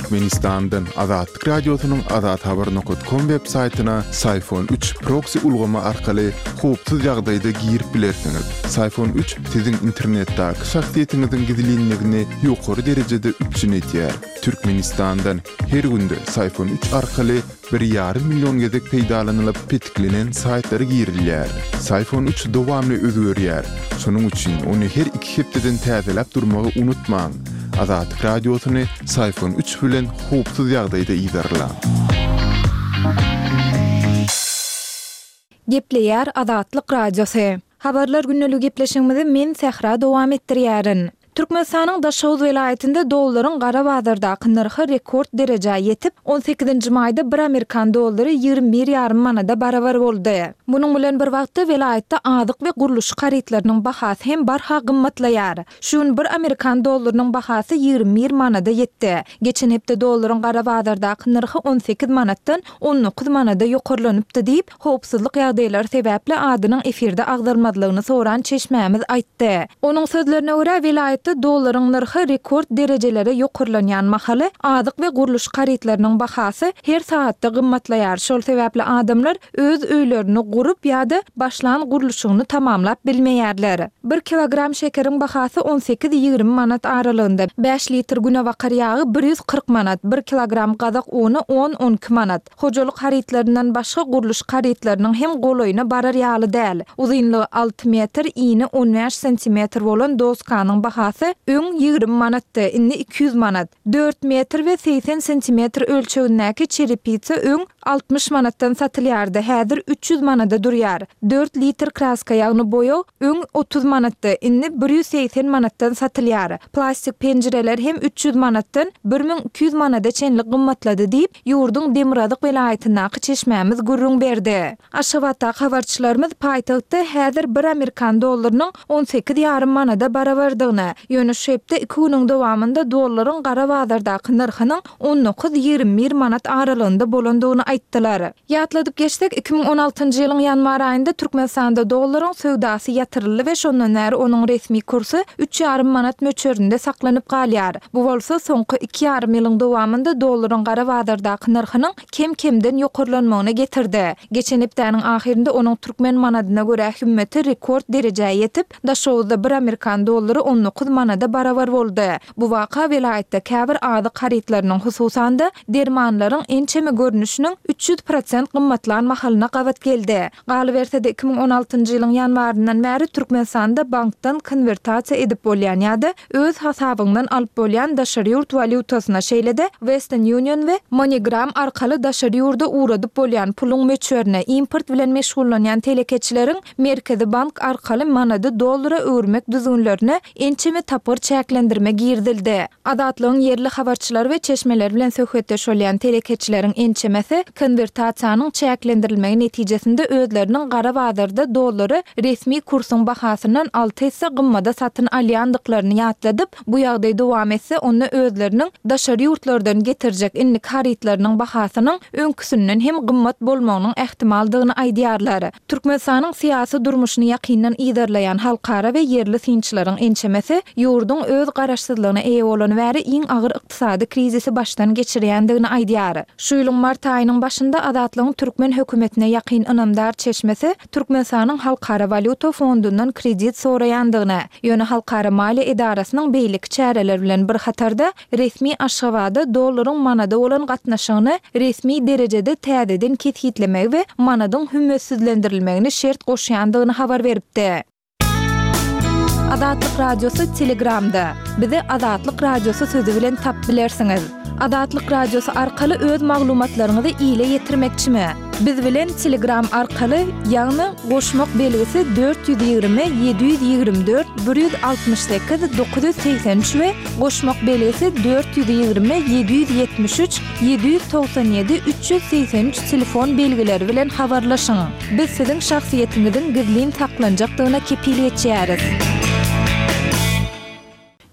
Türkmenistandan Azatlyk Radiosynyň azathabar nokat kom web saýtyna Syfon üç proksi ulgamy arkaly howpsuz ýagdaýda girip bilersiňiz. Syfon üç siziň internetdäki şahsyýetiňiziň gizlinligini ýokary derejede üpjün edýär. Türkmenistandan her günde Syfon üç arkaly bir ýarym million gezek peýdalanylyp petiklenen saýtlara girilýär. Syfon üç dowamly özgerýär. Şonuň üçin ony her iki hepdeden täzeläp durmagy unutmaň. Azatlyk Radiosyny Syfon üç bilen howpsuz ýagdaýda yzarlaň. Gepleýär Azatlyk Radiosy. Habarlar gündeligi gepleşigimizi men Sähra dowam etdirýärin. Türkmenistanyň Daşoguz welaýatynda dollaryň gara bazardaky nyrhy rekord derejä ýetip, on sekizinji maýda bir amerikan dollary 21 ýarym manada barabar boldy. Munuň bilen bir wagtda, welaýatda azyk we gurluşyk harytlarynyň bahasy hem barha gymmatlaýar. Şu gün bir amerikan dollarynyň bahasy 21 manada ýetdi. Geçen hepde dollaryň gara bazardaky nyrhy 18 manatdan 19 manada ýokarlanypdy diýip, howpsuzlyk ýagdaýlary sebäpli adynyň efirde agzalmazlygyny soran çeşmämiz aýtdy. Onuň sözlerine görä, welaýatda dollaryň nyrhy rekord derejelere ýokarlanýan mahaly, azyk we gurluşyk harytlarynyň bahasy her sagatda gymmatlaýar, şol sebäpli adamlar öz öýlerini gurup ýa-da başlan gurluşygyny tamamlap bilmeýärler. Bir kilogram şekeriň bahasy on sekiz-ýigrimi manat aralygynda, bäş litr günebakar ýagy bir 140 manat, bir kilogram gazak uny on-on iki manat. Hojalyk harytlaryndan başga gurluşyk harytlarynyň hem golaýyna barar ýaly däl. Uzynlygy alty metr, ini on bäş santimetr bolan doskanyň bahasy öň 20 manatdy, indi 200 manat. Dört metr we 80 santimetr ölçegindäki çerepitsa öň 60 manatdan satylýardy, häzir 300 manada durýar. Dört litr kraska, ýagny boýag öň 30 manatdy, indi 180 manatdan satylýar. Plastik penjireler hem 300 manatdan 1200 manada çenli gymmatlady diýip, ýurduň demirgazyk welaýatyndaky çeşmämiz gürrüň berdi. Aşgabatdaky habarçylarymyz paýtagtda häzir bir amerikan dollarynyň 18 ýarym manada barabardygyny, ýöne şu hepde iki günüň dowamynda dollaryň gara bazardaky nyrhynyň on dokuz, 21 manat aralygynda bolandygyny aýtdylar. Ýatladyp geçsek, 2016-njy ýylyň ýanwar aýynda Türkmenistanda dollaryň söwdasy ýatyryldy we şondan bäri onuň resmi kursy üç ýarym manat möçberinde saklanyp galýar. Bu bolsa soňky iki ýarym ýylyň dowamynda dollaryň gara bazardaky nyrhynyň kem-kemden ýokarlanmagyna getirdi. Geçen hepdäniň ahyrynda onuň türkmen manadyna görä hümmeti rekord derejä ýetip, Daşoguzda bir amerikan dollary 19 manada barabar boldy. Bu waka welaýatda käbir azyk harytlarynyň, hususan-da, dermanlaryň ençeme görnüşiniň 300 prosent gymmatlan mahalyna gabat geldi. Galyberse-de, 2016-njy ýylyň ýanwaryndan bäri Türkmenistanda bankdan konwertasiýa edip bolýan ýa-da öz hasabyňdan alyp bolýan daşary ýurt walýutasyna, şeýle-de Western Union we MoneyGram arkaly daşary ýurda ugradyp bolýan puluň möçberine, import bilen meşgullanýan telekeçileriň Merkezi bank arkaly manady dollara öwürmek düzgünlerine ençeme tapgyr çäklendirme girizildi. Azatlygyň ýerli habarçylary we çeşmeleri bilen söhbetdeş bolýan telekeçileriň ençemesi konwertasiýanyň çäklendirilmegi netijesinde özleriniň gara bazarda dollary resmi kursuň bahasyndan alty esse gymmada satyn alýandyklaryny ýatladyp, bu ýagdaý dowam etse, onda özleriniň daşary ýurtlardan getirjek indiki harytlarynyň bahasynyň öňküsinden hem gymmat bolmagynyň ähtimaldygyny aýdýarlar. Türkmenistanyň syýasy durmuşyny ýakyndan yzarlaýan halkara we ýerli synçylaryň ençemesi ýurduň öz garaşsyzlygyna eýe bolany bäri iň agyr ykdysady krizisi başdan geçirýändigini aýdýar. Şu ýylyň mart aýynyň başynda Azatlygyň türkmen hökümetine ýakyn ynamdar çeşmesi Türkmenistanyň Halkara walýuta fondundan kredit soraýandygyny, ýöne halkara maliýe edarasynyň beýleki çäreler bilen bir hatarda Resmi Aşgabada dollaryň manada bolan gatnaşygyny resmi derejede täzeden kesgitlemegi we manadyň hümmetsizlendirilmegini şert goşýandygyny habar beripdi. Azatlyk Radiosy Telegramda. Bizi Azatlyk Radiosy sözi bilen tapyp bilersiňiz. Azatlyk Radiosy arkaly öz maglumatlaryňyzy ile ýetirmekçimi? Biz bilen Telegram arkaly, ýagny goşmak belgisi 420 724 168 983 we goşmak belgisi 420 773 797 383 telefon belgileri bilen habarlaşyň. Biz siziň şahsyýetiňiziň gizlin saklanjakdygyna kepil geçýäris.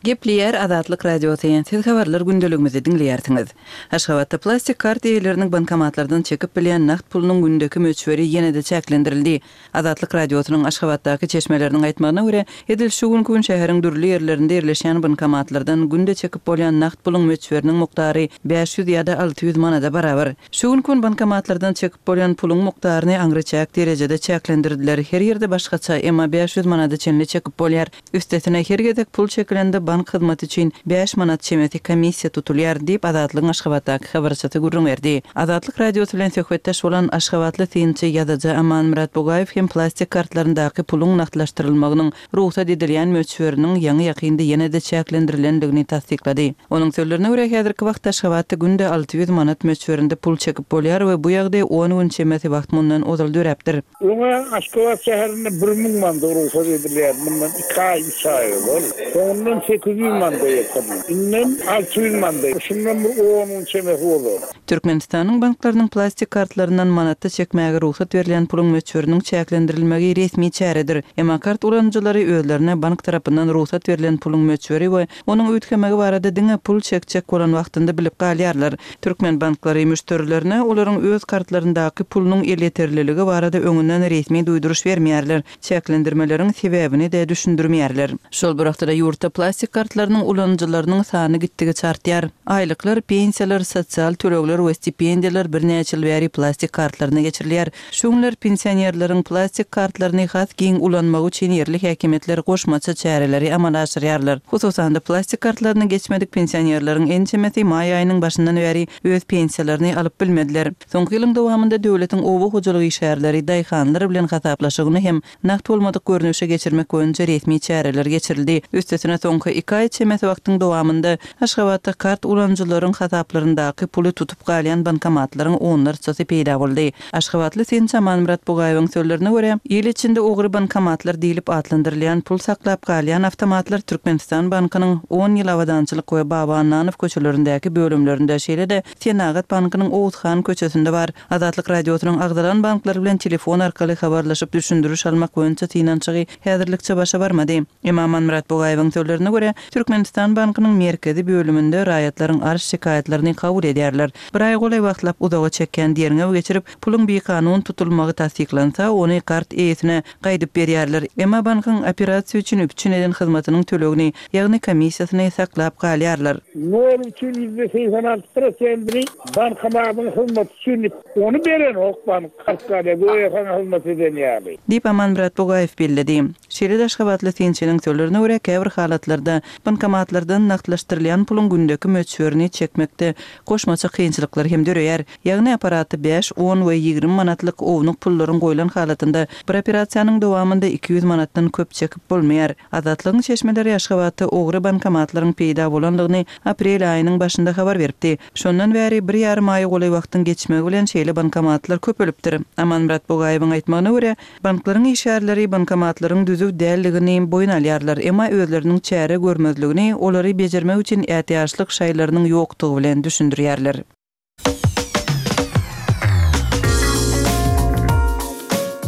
Gepleýär Azatlyk Radiosy, Siz habarlar gündeligimizi diňleýärsiňiz. Aşgabatda plastik kart eýeleriniň bankomatlardan çekip bilýän nagt pulunyň gündeki möçberi ýene-de çäklendirildi. Azatlyk Radiosynyň Aşgabatdaky çeşmeleriniň aýtmagyna görä, edil şu günki gün şäheriň dürli ýerlerinde ýerleşýän bankomatlardan günde çekip bolýan nagt puluň möçberiniň mukdary 500 ýa-da 600 manada barabar. Şu günki gün bankomatlardan çekip bolýan puluň mukdaryny aňryçäk derejede çäklendirdiler, her ýerde başgaça, emma 500 manada çenli çekip bolýar. Üstesine, her gezek pul çekilende bank hyzmaty üçin bäş manat çemesi komissiýa tutulýar, diýip, Azatlygyň Aşgabatdaky habarçysy gürrüň berdi. Azatlyk Radiosy bilen söhbetdeş bolan aşgabatly synçy, ýazyjy Amanmyrat Bugaýew hem plastik kartlaryndaky puluň nagtlaşdyrylmagynyň rugsat edilýän möçberiniň ýaňy-ýakynda ýene-de çäklendirilendigini tassyklady. Onuň sözlerine görä, häzirki wagtda Aşgabatda günde 600 manat möçberinde pul çekip bolýar we bu ýagdaý on gün çemesi wagt mundan ozal döräpdir. Öň-ä Aşgabat şäherinde bir müň manda rugsat edilýärdi, mundan iki aý, üç aý ozal. Soňundan 800 manda getirildi. Indem 600 manda, şundan bir on gün çemesi ozal. Türkmenistanyň banklarynyň plastik kartlaryndan manatda çekmäge rugsat berilýän puluň möçberiniň çäklendirilmegi resmi çäredir. Emma kart ulanyjylary özlerine bank tarapyndan rugsat berlen puluň möçberi we Onuň üýtgemegi barada diňe pul çekjek bolan wagtynda bilip galýarlar. Türkmen banklary müşderilerine olaryň öz kartlaryndaky pulunyň elýeterliligi barada öňünden resmi duýduryş bermeýärler, çäklendirmeleriň sebäbini-de düşündirmeýärler. Şol bir wagtda-da ýurtda plastik kartlarynyň ulanyjylarynyň sany gitdigiçe artýar. Aýlyklar, pensiýalar, sosial tölegler we stipendiýalar birnäçe ýyl bäri plastik kartlaryna geçirilýär. Şu günler pensionerleriň plastik kartlaryny has giň ulanmagy üçin ýerli häkimiýetler goşmaça çäreleri amala aşyrýarlar. Hususan-da, plastik kartlaryny geçmedik pensionerleriň ençemesi maý aýynyň başyndan bäri öz pensiýalaryny alyp bilmediler. Soňky ýylyň dowamynda döwletiň oba hojalyk işgärleri, daýhanlar bilen hasaplaşygyny hem nagt bolmadyk görnüşe geçirmek boýunça resmi çäreler geçirildi. Üstesine, soňky iki aý çemesi wagtyň dowamynda Aşgabatda kart ulanyjylaryň hasaplaryndaky puly tutup galýan bankomatlaryň onlarçasy peýda boldy. Aşgabatly synçy Amanmyrat Bugaýewiň sözlerine görä, il içinde ogry bankomatlar diýlip atlandyrylýan pul saklap galýan awtomatlar Türkmenistan bankynyň On ýyl Abadançylyk we Baba Annanow köçelerindäki bölümlerinde, şeýle-de Senagat bankynyň Oguzhan köçesinde bar. Azatlyk Radiosynyň agzalan banklar bilen telefon arkaly habarlaşyp düşündiriş almak boýunça synanyşygy häzirlikçe başa barmady. Emma Amanmyrat Bugaýewiň sözlerine görä, Türkmenistan bankynyň merkezi bölüminde raýatlaryň arz-şikaýatlaryny kabul edýärler. Bir aýa golaý wagtlap uzaga çekýän derňew geçirip, puluň bikanun tutulmagy tassyklansa, ony kart eýesine gaýdyp berýärler. Emma bankyň operasiýa üçin üpjün eden hyzmatynyň tölegini, ýagny komissiýasyny saklap galýarlar. Nol üçin %86 prosentini bankomatyň hyzmaty üçin diýip, ony berenok bank kart galýar, göýä saňa hyzmat eden ýaly. Diýip, Amanmyrat Bugaýew belledi. Şeýle-de aşgabatly synçynyň sözlerine görä, käbir halatlarda bankomatlardan nagtlaşdyrylýan puluň gündeki möçberini çekmekde goşmaça kynçylyklar hem döreýär. Ýagny apparata bäş, on we 20 manatlyk ownuk pullaryň goýlan halatynda bir operasiýanyň dowamynda 200 manatdan köp çekip bolmaýar. Azatlygyň çeşmeleri Aşgabatda ogry bankomatlaryň peýda bolandygyny aprel aýynyň başynda habar beripdi. Şondan bäri bir ýarym aýa golaý wagtyň geçmegi bilen şeýle bankomatlar köpelipdir. Amanmyrat Bugaýewiň aýtmagyna görä, Banklaryň işgärleri bankomatlaryň düzüw däldigini boýun alýarlar, emma özleriniň çäre görmezligini olary bejermek üçin ätiýaçlyk şaýlarynyň ýokdugy bilen düşündirýärler.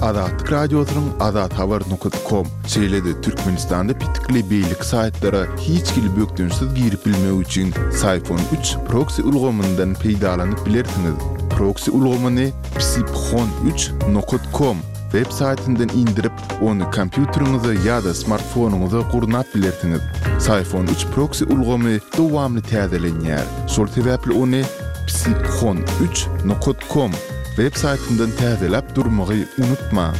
Azatlyk Radiosynyň azathabar nokat kom, şeýle-de Türkmenistanda petikli beýleki saýtlara hiç hili bökdençsiz girip bilmek üçin Syfon üç proksi ulgamyndan peýdalanyp bilersiňiz. Proksi ulgamyny Psiphon üç nokat kom web saýtyndan indirip, ony kompýuteriňize ýa-da smartfonyňyza gurnap bilersiňiz. Syphon üç proksi ulgamy dowamly täzelenýär. Şol sebäpli ony Psiphon üç nokat kom web saýtyndan täzeläp durmagy unutmaň.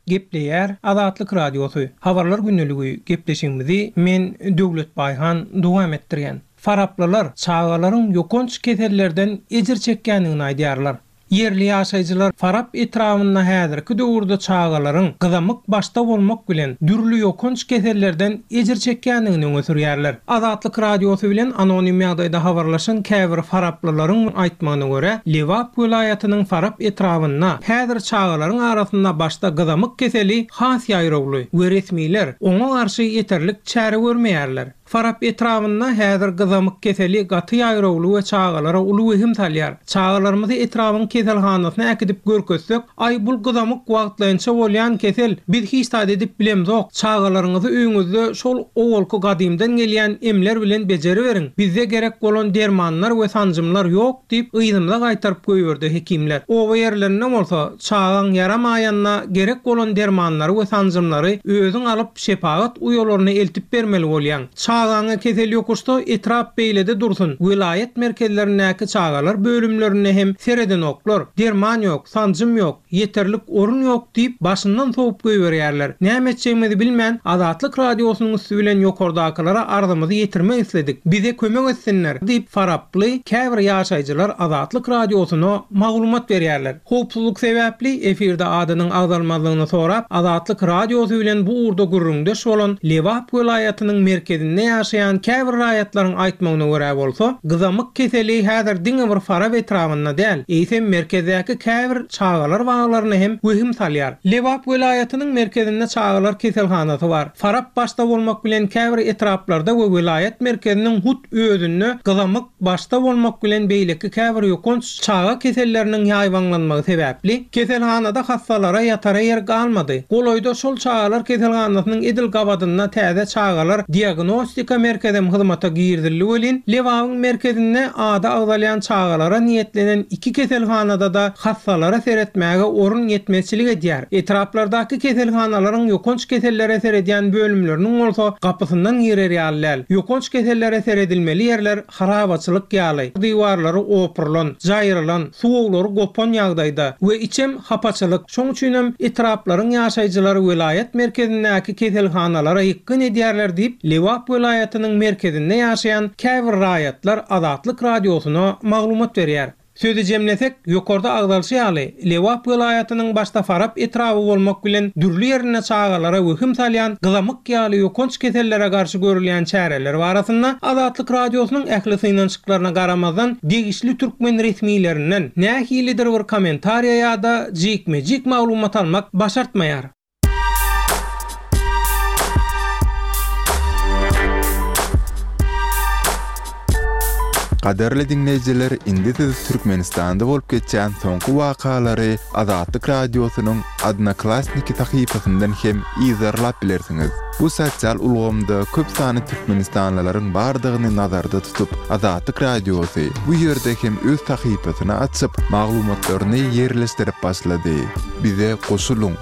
Gepleýär Azatlyk Radiosy, Habarlar gündeligi gepleşigimizi men Döwlet Baýhan dowam etdirýän. Faraplylar çagalaryň ýokanç kesellerden ejir çekýändigini aýdýarlar. Ýerli ýaşaýjylar Farap etrabynda häzirki döwürde çagalaryň gyzamyk başda bolmak bilen dürli ýokanç kesellerden ejir çekýändigini öňe sürýärler. Azatlyk Radiosy bilen anonim ýagdaýda habarlaşan käbir faraplylaryň aýtmagyna görä, Lebap welaýatynyň Farap etrabynda häzir çagalaryň arasynda başda gyzamyk keseli has ýaýrawly we resmiler oňa garşy ýeterlik çäre görmeýärler. Farap etrabynda häzir gyzamyk keseli gaty ýaýrawly we çagalara uly wehim salýar. Çagalarymyzy etrabyň keselhanasyna äkidip görkezsek, Aý, bul gyzamyk wagtlaýynça bolýan kesel, biz hiç zat edip bilemzok, çagalaryňyzy öýüňizde şol owalky gadymdan gelýän emler bilen bejeriberiň, bizde gerek bolan dermanlar we sanjymlar ýok diýip, yzymyza gaýtaryp goýberdi hekimler. Oba ýerlerinde bolsa, çagaň ýaramaýanda gerek bolan dermanlary we sanjymlary özüň alyp, şepagat uýalaryna eltip bermeli bolýaň. Çagaňa kesel ýokuşsa, etrap beýlede dursun, welaýat merkezlerindäki çagalar bölümlerinde hem seredenoklar. Derman ýok, sanjym ýok, ýeterlik orun ýok diýip, başyndan sowup goýberýärler. Näme etjegimizi bilmän, Azatlyk Radiosynyň üsti bilen ýokardakylara arzymyzy ýetirmek isledik. Bize kömek etsinler diýip, faraply käbir ýaşaýjylar Azatlyk Radiosyna maglumat berýärler. Howpsuzlyk sebäpli efirde adynyň agzalmazlygyny sorap, Azatlyk Radiosy bilen bu ugurda gürrüňdeş bolan Lebap welaýatynyň merkezinde ýaşaýan käbir raýatlaryň aýtmagyna görä bolsa, gyzamyk keseli häzir diňe bir Farap etrabynda däl, eýsem merkezdäki käbir çagalar baglaryna hem wehim salýar. Lebap welaýatynyň merkezinde çagalar keselhanasy bar. Farap başda bolmak bilen käbir etraplarda we welaýat merkeziniň hut özünde gyzamyk başda bolmak bilen beýleki käbir ýokanç çaga keselleriniň ýaýbaňlanmagy sebäpli, keselhanada hassalara ýatara ýer galmady. Golaýda şol çagalar keselhanasynyň edil gabadynda täze çagalar diagnostika merkezem hyzmata girizildi welin, Lebabyň merkezinde ady agzalýan çagalara niýetlenen iki keselhanada-da hassalara seretmäge orun ýetmezçilik edýär. Etraplardaky keselhanalaryň ýokanç kesellere seredýän bölümleriniň bolsa gapysyndan girer ýaly däl. Ýokanç kesellere seredilmeli ýerler harabaçylyk ýaly, diwarlary opurylan, jaýrylan, suwaglary gopan ýagdaýda we içem hapaçylyk, şoň üçinem etraplaryň ýaşaýjylary welaýat merkezindäki keselhanalara ýykgyn edýärler diýip, Lebap welaýatynyň merkezinde ýaşaýan käbir raýatlar Azatlyk Radiosyna maglumat berýär. Sözi jemlesek, ýokarda agzalşy ýaly, Lebap welaýatynyň başda Farap etraby bolmak bilen dürli ýerinde çagalara wehim salýan gyzamyk ýaly ýokanç kesellere garşy görülýän çäreler barasynda Azatlyk Radiosynyň ähli synanyşyklaryna garamazdan degişli türkmen resmilerinden nähilidir bir kommentariýa ýa-da jikme-jik maglumat almak başartmaýar. Gadyrly diňleýjiler, indi siz Türkmenistanda bolup geçýän soňky wakalary Azatlyk Radiosynyň Odnoklassniki sahypasyndan hem yzarlap bilersiňiz. Bu sosial ulgamda köp sanly türkmenistanlylaryň bardygyny nazarda tutup, Azatlyk Radiosy bu ýerde hem öz sahypasyny açyp, maglumatlaryny ýerleşdirip başlady. Bize goşulyň!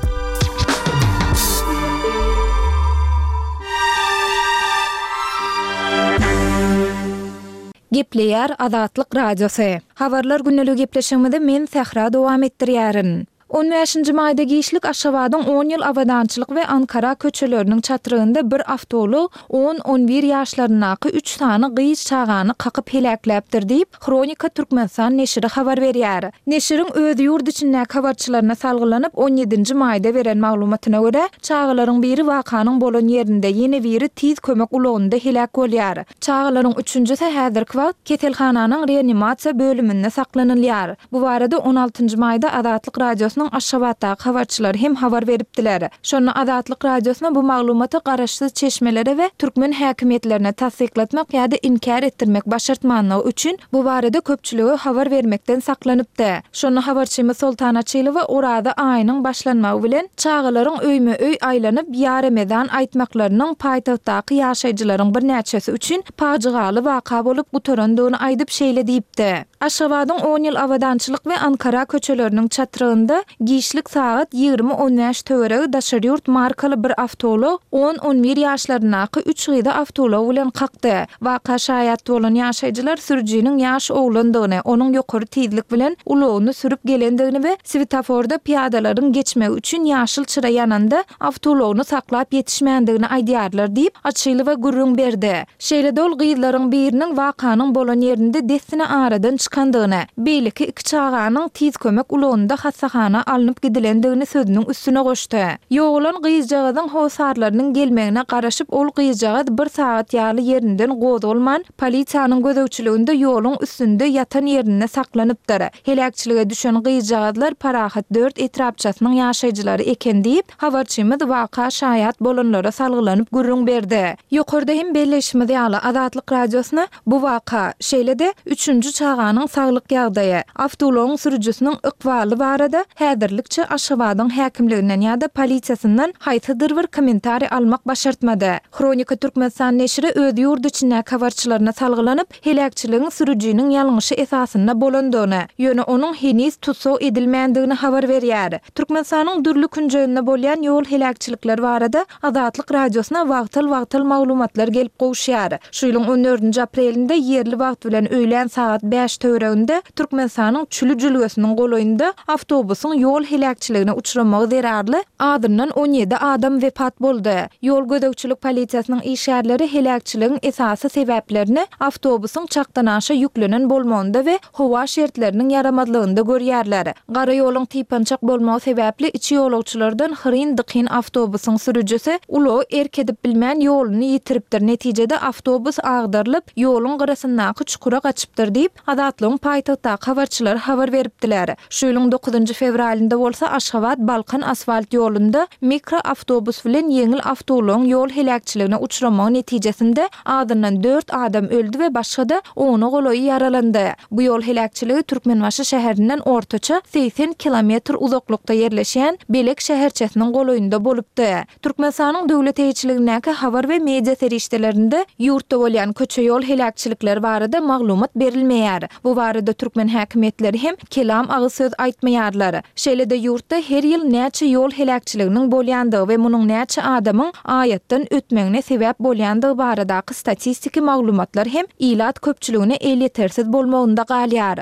Gepleýär Azatlyk Radiosy. Habarlar gündeligi gepleşigimizi men Sähra dowam etdirýärin. On bäşinji maýda giçlik Aşgabadyň On ýyl Abadançylyk we Ankara köçeleriniň çatrygynda bir awtoulag on-on bir ýaşlaryndaky üç sany gyz çagany kakyp heläkläpdir diýip, Hronika Türkmenistan neşiri habar berýär. Neşiriň öz ýurt içindäki habarçylaryna salgylanyp, on ýedinji maýda beren maglumatyna görä, çagalaryň biri wakanyň bolan ýerinde, ýene biri tiz kömek ulagynda heläk bolýar. Çagalaryň üçünjisi häzirki wagt keselhananyň reanimasiýa bölüminde saklanylýar. Bu barada on altynjy maýda Azatlyk Radiosynyň Aşgabatdaky habarçylary hem habar beripdiler. Şonda Azatlyk Radiosyna bu maglumaty garaşsyz çeşmelere we türkmen häkimiýetlerine tassyklatmak ýa-da inkär etdirmek başartmanlygy üçin bu barada köpçülige habar bermekden saklanypdy. Şonda habarçymyz Soltan Açylowa Oraza aýynyň başlanmagy bilen çagalaryň öýme-öý aýlanyp Ýa Remezan aýtmaklarynyň paýtagtdaky ýaşaýjylaryň birnäçesi üçin pajygaly waka bolup gutarandygyny aýdyp şeýle diýipdi. Aşgabadyň On ýyl Abadançylyk we Ankara köçeleriniň çatrygynda giçlik sagat 20 on bäş töweregi daşary ýurt markaly bir awtoulag on-on bir ýaşlaryndaky üç gyzy awtoulag bilen kakdy. Waka şaýat bolan ýaşaýjylar sürüjiniň ýaş oglandygyny, onuň ýokary tizlik bilen ulagyny sürüp gelendigini we swetoforda pyýadalaryň geçmegi üçin ýaşyl çyra ýananda awtoulagyny saklap ýetişmändigini aýdýarlar diýip, Açylowa gürrüň berdi. Şeýle-de ol gyzlaryň biriniň wakanyň bolan ýerinde dessine aradan çykandygyny, beýleki iki çaganyň tiz kömek ulagynda hassahana. hassahana alnyp gidilendigini sözüniň üstüne goşdy. Ýogalan gyzjagazyň hossarlarynyň gelmegine garaşyp ol gyzjagaz bir sagat ýaly ýerinden gozgalman, polisiýanyň gözegçiliginde ýoluň üstünde ýatan ýerinde saklanypdyr. Heläkçilige düşen gyzjagazlar Parahat dört etrapçasynyň ýaşaýjylary eken diýip, habarçymyz waka şaýat bolanlara salgylanyp gürrüň berdi. Ýokarda hem belleýşimiz ýaly, Azatlyk Radiosyna bu waka, şeýle-de, üçünji çaganyň saglyk ýagdaýy, awtoulagyň sürüjisiniň ykbaly barada häzirlikçe Aşgabadyň häkimliginden ýa-da polisiýasyndan haýsydyr bir kommentariý almak başartmady. Hronika Türkmenistan neşiri öz ýurt içindäki habarçylaryna salgylanyp, heläkçiligiň sürüjiniň ýalňyşy esasynda bolandygyny, ýöne onuň heniz tussag edilmändigini habar berýär. Türkmenistanyň dürli künjeginde bolýan ýol heläkçilikleri barada Azatlyk Radiosyna wagtal-wagtal maglumatlar gelip gowuşýar. Şu ýylyň on dördünji aprelinde ýerli wagt bilen öýlän sagat bäş töwereginde Türkmenistanyň Çüli jülgesiniň golaýynda awtobusyň ýol heläkçiligine uçramagy zerarly azyndan 17 adam wepat boldy. Ýol gözegçilik polisiýasynyň işgärleri heläkçiligiň esasy sebäplerini awtobusyň çakdanaşa ýüklenen bolmagynda we howa şertleriniň ýaramazlygynda görýärler. Gara ýoluň typançak bolmagy sebäpli içi ýolagçylardan hyryn-dykyn awtobusyň sürüjisi ulagy erk edip bilmän ýoluny ýitiripdir, netijede awtobus agdarylyp, ýoluň gyrasyndaky çukura gaçypdyr diýip, Azatlygyň paýtagtdaky habarçylary habar beripdiler. Şu ýylyň dokuzynjy fewralynda bolsa Aşgabat-Balkan asfalt ýolunda mikroawtobus bilen ýeňil awtoulagyň ýol heläkçiligine uçramagy netijesinde azyndan dört adam öldi we başga-da ona golaýy ýaralandy. Bu ýol heläkçiligi Türkmenbaşy şäherinden ortaça 80 kilometr uzaklykda ýerleşýän Belek şäherçesiniň golaýynda bolupdy. Türkmenistanyň döwlet eýeçiligindäki habar we media serişdelerinde ýurtda bolýan köçe-ýol heläkçilikleri barada maglumat berilmeýär. Bu barada türkmen häkimiýetleri hem kelam agyz söz aýtmaýarlar. Şeýle-de ýurtda her ýyl näçe ýol heläkçiliginiň bolýandygy we munuň näçe adamyň aýatdan ötmegine sebäp bolýandygy baradaky statistiki maglumatlar hem ilat köpçüligine elýetersiz bolmagynda galýar.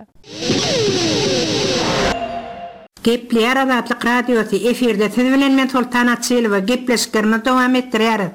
Gepleýär Azatlyk Radiosy, efirde siz bilen men Soltan Açylowa, gepleşiklerimizi dowam etdirýäris.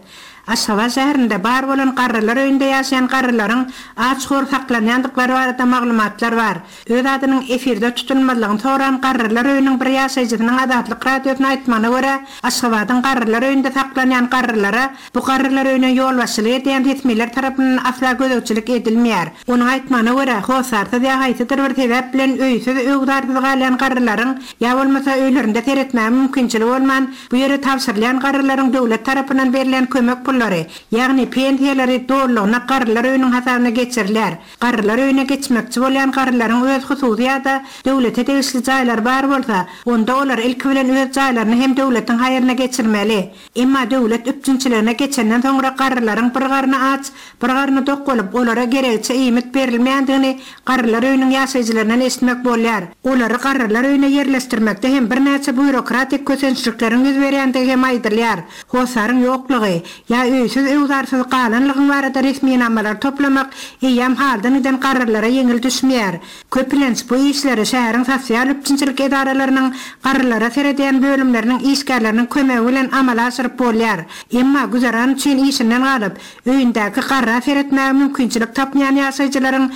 Aşgabat şäherinde bar bolan garrylar öýünde ýaşaýan garrylaryň aç-hor saklanýandyklary barada maglumatlar bar. Öz adynyň efirde tutulmazlygyny soran garrylar öýüniň bir ýaşaýjysynyň Azatlyk Radiosyna aýtmagyna görä, Aşgabadyň garrylar öýünde saklanýan garrylara Bu garrylar öýüne ýolbaşçylyk edýän resmiler tarapyndan asla gözegçilik edilmeýär. Onuň aýtmagyna görä, hossarsyz ýa haýsydyr bir sebäp bilen öýsüz-öwzarsyz galýan garrylaryň, ýa bolmasa öýlerinde seretmäge mümkinçiligi bolman, bu ýere tabşyrylýan garrylaryň döwlet tarapyndan berilýän kömek pullary, ýagny pensiýalary dolulygyna garrylar öýüniň hasabyna geçirilýär. Garrylar öýüne geçmekçi bolýan garrylaryň öz hususy ýa-da döwlete degişli jaýlary bar bolsa, onda olar ilki bilen öz jaýlaryny hem döwletiň haýryna geçirmeli. Emma döwlet üpjünçiligine geçenden soňra garrylaryň bir garny aç, bir garny dok bolup, olara geregiçe iýmit berilmeýändigini garrylar öýüniň ýaşaýjylaryndan eşitmek bolýar. Olary garrylar öýüne ýerleşdirmekde hem birnäçe býurokratik kösençlikleriň ýüz berýändigi hem aýdylýar. Hossaryň ýoklugy, ýa öýsüz-öwzarsyz galanlygyň barada resminamalary toplamak eýýäm haldan giden garrylara ýeňil düşmeýär. Köplenç, bu işleri şäheriň sosial üpjünçilik edaralarynyň garrylara seredýän bölümleriniň işgärleriniň kömegi bilen amala aşyryp bolýar. Emma güzeran üçin işinden galyp, öýündäki garra seretmäge mümkinçilik tapmaýan ýaşaýjylaryň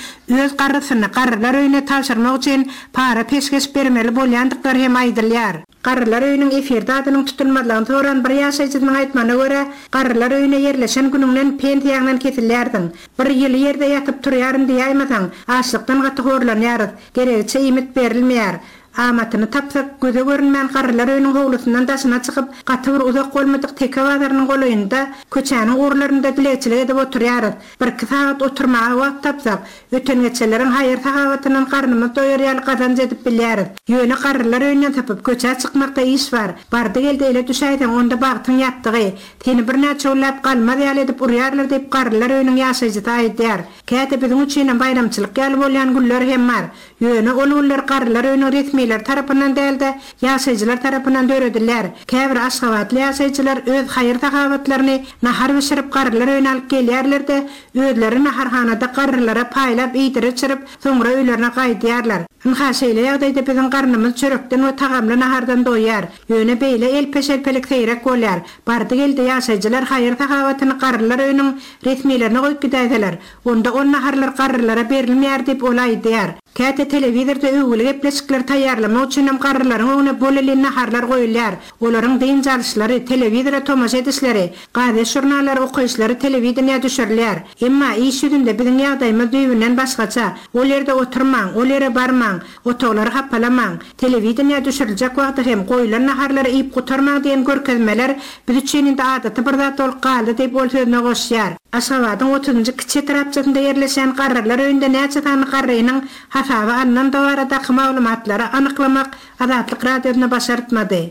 öz garrysyny garrylar öýüne tabşyrmak üçin para-peşgeş bermeli bolýandyklary hem aýdylýar. Garrylar öýüniň efirde adynyň tutulmazlygyny soran bir ýaşaýjysynyň aýtmagyna görä, garrylar öýüne ýerleşen günüňden pensiýaňdan kesilýärsiň. Bir ýyly ýerde ýatyp turýaryn diýäýmeseň, açlykdan gaty horlanýarys, geregiçe iýmit berilmeýär. Amatyny tapsak, göze görünmän garrylar öýüniň howlusyndan daşyna çykyp, gaty bir uzak bolmadyk Teke bazarynyň golaýynda, köçäniň ugurlarynda dilegçilik edip oturýarys. Birki sagat oturmaga wagt tapsak, Öten-geçenleriň haýyr-sahawatyndan garnymyz doýar ýaly gazanç edip bilýäris. Ýöne garrylar öýünden sypyp, köçä çykmakda iş bar. Bardy-geldi ele düşäýseň, onda bagtyň ýatdygy. Seni birnäçe günläp galmaz ýaly edip urýarlar diýip, garrylar öýüniň ýaşaýjysy aýdýar. Käte biziň üçinem baýramçylyk ýaly bolýan günler hem bar. Ýöne ol günler garrylar öýüniň resmileri tarapyndan däl-de, ýaşaýjylar tarapyndan döredilýär. Käbir aşgabatly ýaşaýjylar öz haýyr-sahawatlaryny nahar bişirip garrylar öýüne alyp gelýärler-de, Özleri naharhanada garrylara paýlap iýdirip-içirip, soňra öýlerine gaýdýarlar. Ynha, şeýle ýagdaýda biziň garnymyz çörekden we tagamly nahardan doýýar. Ýöne beýle elpe-şelpelik seýrek bolýar. Bardy-geldi ýaşaýjylar haýyr-sahawatyny garrylar öýüniň resmilerine goýup gidäýseler, onda ol naharlar garrylara berilmeýär diýip, ol aýdýar. Käte telewizorda öwgüli gepleşikleri taýýarlamak üçinem garrylaryň öňüne bolelin naharlar goýulýar. Olaryň dynç alyşlary, telewizora tomaşa edişleri, gazet-žurnallary okaýyşlary telewideniýä düşürilýär. Emma iş ýüzünde biziň ýagdaýymyz düýbünden başgaça. Ol ýerde oturmaň, ol ýere barmaň, otaglary hapalamaň, telewideniýä düşüriljek wagty hem goýlan naharlary iýip gutarmaň diýen görkezmeler biz üçin indi adaty bir zat bolup galdy diýip ol sözüne goşýar. Aşgabadyň otuzynjy kiçi etrapçasynda ýerleşýän garrylar öýünde näçe sany garrynyň hasaba alnandygy baradaky maglumatlary anyklamak Azatlyk Radiosyna başartmady.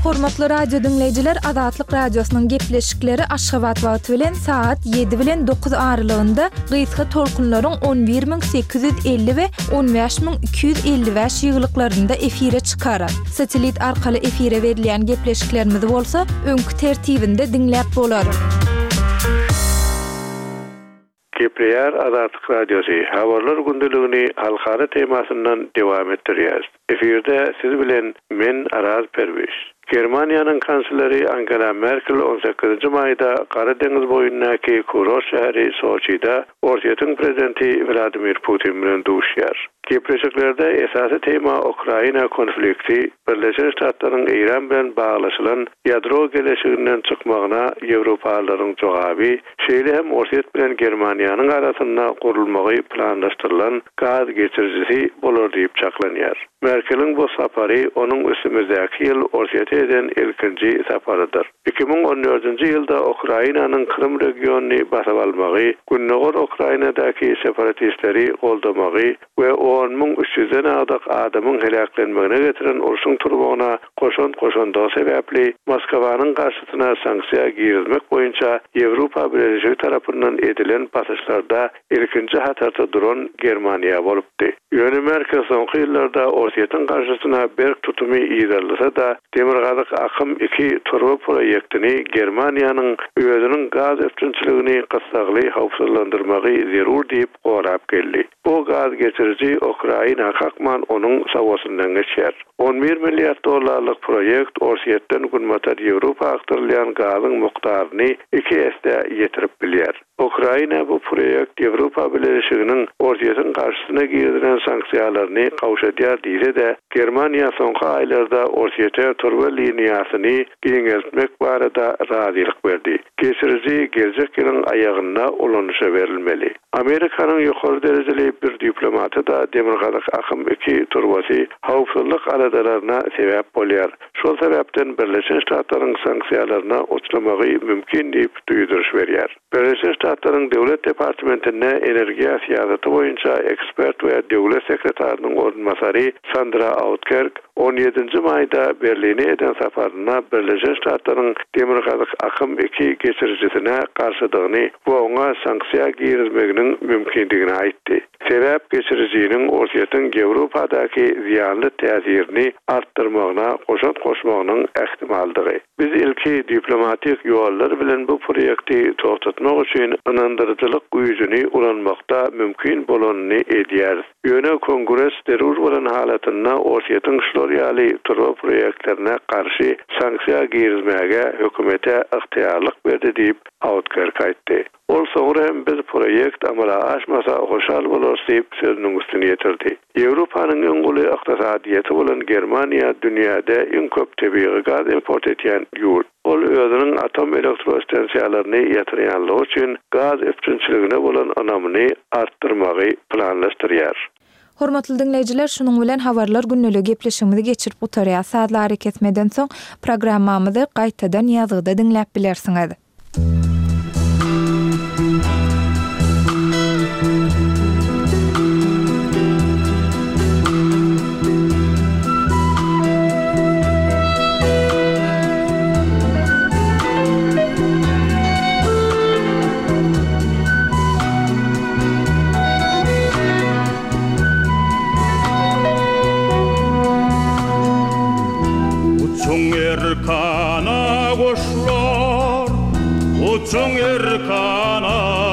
Hormatly radio diňleýjiler Azatlyk Radiosynyň gepleşikleri Aşgabat wagty bilen sagat ýedi bilen dokuz aralygynda gysga tolkunlaryň 11850 we 15255 ýygylyklarynda efire çykar. Satellit arkaly efire berilýän gepleşiklerimizi bolsa öňki tertibinde diňläp bolar. Gepleýär Azatlyk Radiosy, Habarlar gündeligini halkara temasyndan dowam etdirýäris. Efirde siz bilen men Araz Perwiş. Germaniýanyň kansleri Angela Merkel on sekizinji maýda Gara deňiz boýundaky kurort şäheri Soçide Orsýetiň prezidenti Wladimir Putin bilen duşýar. Gepleşiklerde esasy tema Ukraina konflikti, Birleşen Ştatlaryň Eýran bilen baglaşylan ýadro geleşiginden çykmagyna ýewropalylaryň jogaby, şeýle hem Orsýet bilen Germaniýanyň arasynda gurulmagy planlaşdyrylan gaz geçirijisi bolar diýip çaklanýar. Merkeliň bu sapary onuň üstümizdäki ýyl Orsýete eden ilkinji saparydyr. 2014-nji ýylda Ukrainanyň Krym regionyny basyp almagy, gündogar Ukrainadaky separatistleri goldamagy we 10 300-den agdyk adamyň heläklenmegine getiren urşuň turmagyna goşant goşandygy sebäpli Moskwanyň garşysyna sanksiýa girizmek boýunça Ýewropa Bileleşigi tarapyndan edilen basyşlarda ilkinji hatarda duran Germaniýa bolupdy. Ýöne Merkel soňky ýyllarda Orsýetiň garşysyna berk tutumy yzarlasa-da, Demirgazyk akym iki turba proýektini Germaniýanyň özüniň gaz üpjünçiligini gyssagly howpsuzlandyrmagy zerur diýip gorap geldi. Bu gaz geçiriji Ukraina kakman onuň sawasyndan geçýär. 11 milliard dollarlyk proýekt Orsýetden Günbatar Ýewropa akdyrylýan gazyň mukdaryny iki esse ýetirip bilýär. Ukraina bu proýekt Ýewropa Bileleşiginiň Orsýetiň garşysyna girizilen sanksiýalaryny gowşadýar diýse-de, Germaniýa soňky aýlarda Orsýete turba liniýasyny giňeltmek barada razylyk berdi. Geçiriji geljek ýylyň aýagynda ulanyşa berilmeli. Amerikanyň ýokary derejeli bir diplomaty-da Demirgazyk akym iki turbasy howpsuzlyk aladalaryna sebäp bolýar, şol sebäpden Birleşen Ştatlaryň sanksiýalaryna uçramagy mümkin diýip duýduryş berýär. Birleşen Ştatlaryň Döwlet departamentinde energiýa syýasaty boýunça ekspert we döwlet sekretarynyň orunbasary Sandra Outkerk On ýedinji maýda Berline eden saparynda Birleşen Ştatlaryň Demirgazyk akym iki geçirijisine garşydygyny we oňa sanksiýa girizmeginiň mümkindigini aýtdy. Sebäp geçirijiniň Orsýetiň Ýewropadaky zyýanly täsirini artdyrmagyna goşant goşmagynyň ähtimaldygy. Biz ilki diplomatik ýollar bilen bu proýekti togtatmak üçin ynandyryjylyk güýjüni ulanmakda mümkin bolanyny edýäris. Ýöne Kongres zerur bolan halatynda Orsýetiň şular ýaly turba proýektlerine garşy sanksiýa girizmäge hökümete ygtyýarlyk berdi diýip, Outkerk aýtdy. Ol soňra hem biz proýekt amala aşmasa hoşal bolarys diýip, sözüniň üstüni ýetirdi. Ýewropanyň iň uly ykdysadyýeti bolan Germaniýa dünýäde iň köp tebigy gaz import etýän ýurt. Ol özüniň atom elektrostansiýalaryny ýatyrýanlygy üçin gaz üpjünçiligine bolan ynamyny artdyrmagy planlaşdyrýar. Hormatly diňleýjiler şunuň bilen Habarlar gündeligi gepleşigimizi geçirip gutarýas. Sazly arakesmeden soň programmamyzy gaýtadan ýazgyda diňläp bilersiňiz. Uçuň erkana guşlar, uçuň erkana.